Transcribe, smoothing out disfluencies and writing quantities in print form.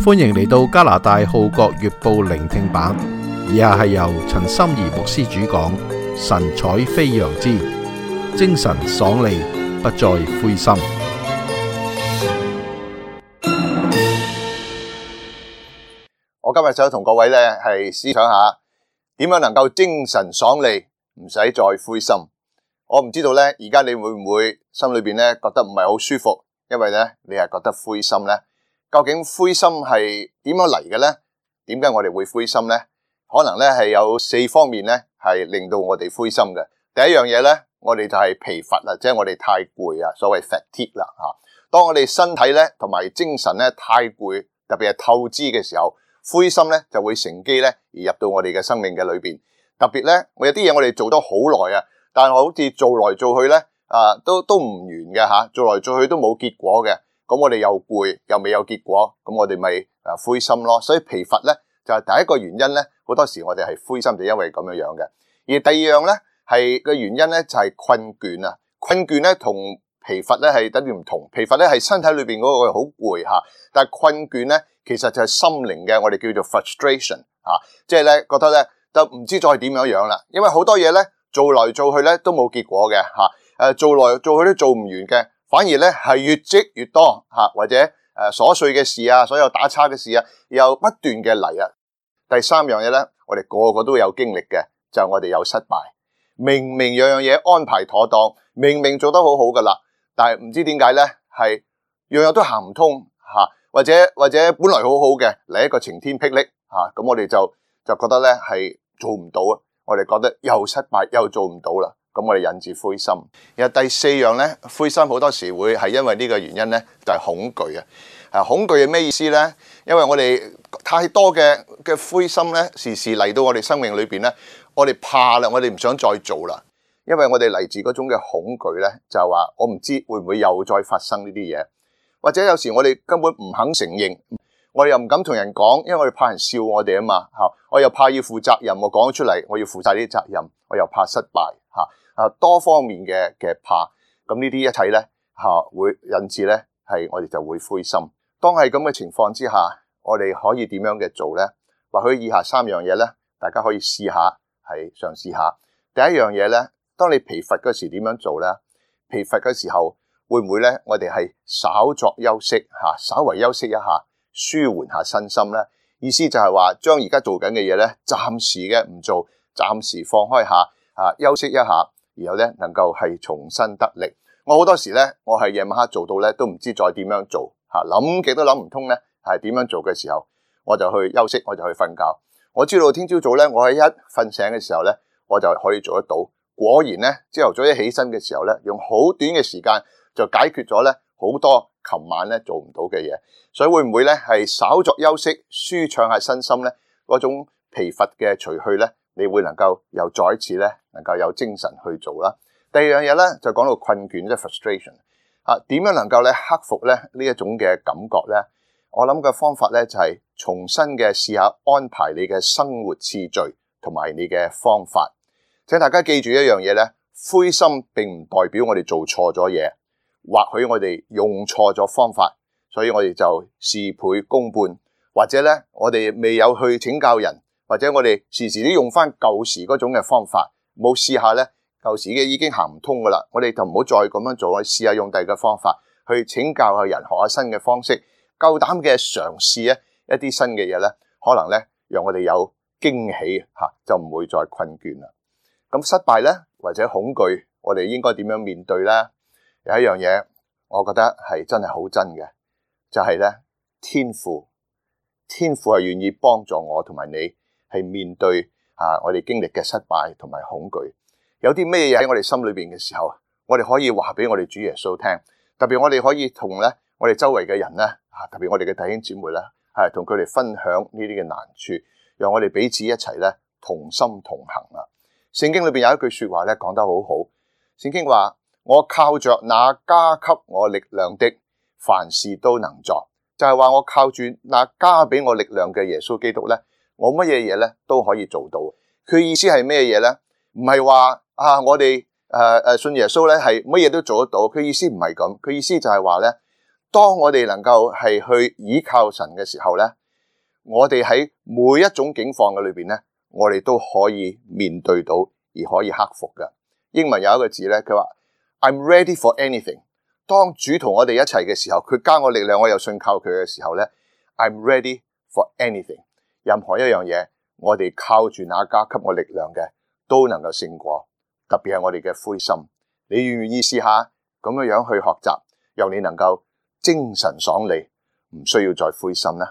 歡迎嚟到加拿大號角月報聆聽版，以下係由陳心怡牧師主講，神采飛揚之精神爽利，不再灰心。我今日想同各位咧係思想下點樣能夠精神爽利，唔使再灰心。我唔知道咧，而家你會唔會心裏邊咧覺得唔係好舒服，因為咧你係覺得灰心咧？究竟灰心係點樣嚟嘅咧？點解我哋會灰心咧？可能咧係有4方面咧係令到我哋灰心嘅。第一樣嘢咧，我哋就係疲乏啦，即係我哋太攰啊，所謂 fatigue 啦吓。當我哋身體咧同埋精神咧太攰，特別係透支嘅時候，灰心咧就會乘機咧而入到我哋嘅生命嘅裏邊。特別咧，我有啲嘢我哋做得好耐啊，但係好似做來做去咧都唔完嘅吓，做來做去都冇結果嘅。咁我哋又攰又未有結果，咁我哋咪灰心咯。所以疲乏咧就係第一個原因咧，好多時我哋係灰心就因為咁樣樣嘅。而第二樣咧係嘅原因咧就係困倦啊。困倦咧同疲乏咧係等於唔同。疲乏咧係身體裏邊嗰個好攰吓，但係困倦咧其實就係心靈嘅，我哋叫做 frustration 即係咧覺得咧就唔知再點樣樣啦。因為好多嘢咧做來做去咧都冇結果嘅吓，做來做去都做唔完嘅。反而咧係越積越多或者瑣碎嘅事啊，所有打叉嘅事啊，又不斷嘅嚟啊。第三樣嘢咧，我哋個個都有經歷嘅，就係我哋有失敗。明明樣樣嘢安排妥當，明明做得好好噶啦，但係唔知點解咧，係樣樣都行唔通或者本來好好嘅嚟一個晴天霹靂咁我哋就覺得咧係做唔到啊。我哋覺得又失敗又做唔到啦。咁我哋引致灰心。然後第四樣咧，灰心好多時會係因為呢個原因咧，就係恐懼啊。恐懼係咩意思咧？因為我哋太多嘅灰心咧，時時嚟到我哋生命裏邊咧，我哋怕啦，我哋唔想再做啦。因為我哋嚟自嗰種嘅恐懼咧，就係話我唔知會唔會又再發生呢啲嘢，或者有時我哋根本唔肯承認，我哋又唔敢同人講，因為我哋怕人笑我哋啊嘛。我又怕要負責任，我講咗出嚟，我要負晒呢啲責任，我又怕失敗多方面嘅怕，咁呢啲一切咧會引致咧係我哋就會灰心。當係咁嘅情況之下，我哋可以點樣嘅做咧？或許以下3樣嘢咧，大家可以試下係嘗試下。第一樣嘢咧，當你疲乏嗰時點樣做咧？疲乏嘅時候會唔會咧？我哋係稍作休息稍為休息一下，舒緩下身心咧。意思就係話將而家做緊嘅嘢咧，暫時嘅唔做，暫時放開下休息一下。然後咧能夠係重新得力。我好多時咧，我係夜晚黑做到咧都唔知再點樣做諗極都諗唔通咧係點樣做嘅時候，我就去休息，我就去瞓覺。我知道聽朝早咧，我喺一瞓醒嘅時候咧，我就可以做得到。果然咧，朝頭早一起身嘅時候咧，用好短嘅時間就解決咗咧好多琴晚咧做唔到嘅嘢。所以會唔會咧係稍作休息，舒暢下身心咧，嗰種疲乏嘅除去咧，你會能夠又再一次咧，能夠有精神去做啦。第二樣嘢咧，就講到困倦，即係 frustration 點樣能夠咧克服咧呢一種嘅感覺咧？我諗嘅方法咧就係重新嘅試下安排你嘅生活次序同埋你嘅方法。請大家記住一樣嘢咧，灰心並唔代表我哋做錯咗嘢，或許我哋用錯咗方法，所以我哋就事倍功半，或者咧我哋未有去請教人。或者我哋時時都用翻舊時嗰種嘅方法，冇試下咧，舊時嘅已經行唔通噶啦，我哋就唔好再咁樣做，試下用第二個方法去請教下人，學下新嘅方式，夠膽嘅嘗試一啲新嘅嘢咧，可能咧讓我哋有驚喜就唔會再困倦啦。咁失敗咧或者恐懼，我哋應該點樣面對咧？有一樣嘢，我覺得係真係好真嘅，就係咧天父係願意幫助我同埋你。係面對我哋經歷嘅失敗同埋恐懼，有啲咩嘢喺我哋心裏邊嘅時候，我哋可以話俾我哋主耶穌聽。特別我哋可以同咧我哋周圍嘅人咧特別我哋嘅弟兄姊妹咧同佢哋分享呢啲嘅難處，讓我哋彼此一齊咧同心同行啦。聖經裏邊有一句說話咧講得好好，聖經話：我靠着那加給我力量的，凡事都能做。就係話我靠住那加俾我力量嘅耶穌基督咧，我乜嘢嘢咧都可以做到。佢意思係咩嘢咧？唔係話我哋信耶穌咧係乜嘢都做得到。佢意思唔係咁，佢意思就係話咧，當我哋能夠係去倚靠神嘅時候咧，我哋喺每一種境況嘅裏邊咧，我哋都可以面對到而可以克服嘅。英文有一個字咧，佢話 I'm ready for anything。當主同我哋一齊嘅時候，佢加我力量，我又信靠佢嘅時候咧， I'm ready for anything。任何一樣嘢，我哋靠住那加給我力量嘅，都能夠勝過。特別係我哋嘅灰心，你願唔願意試下咁樣去學習，讓你能夠精神爽利，唔需要再灰心呢？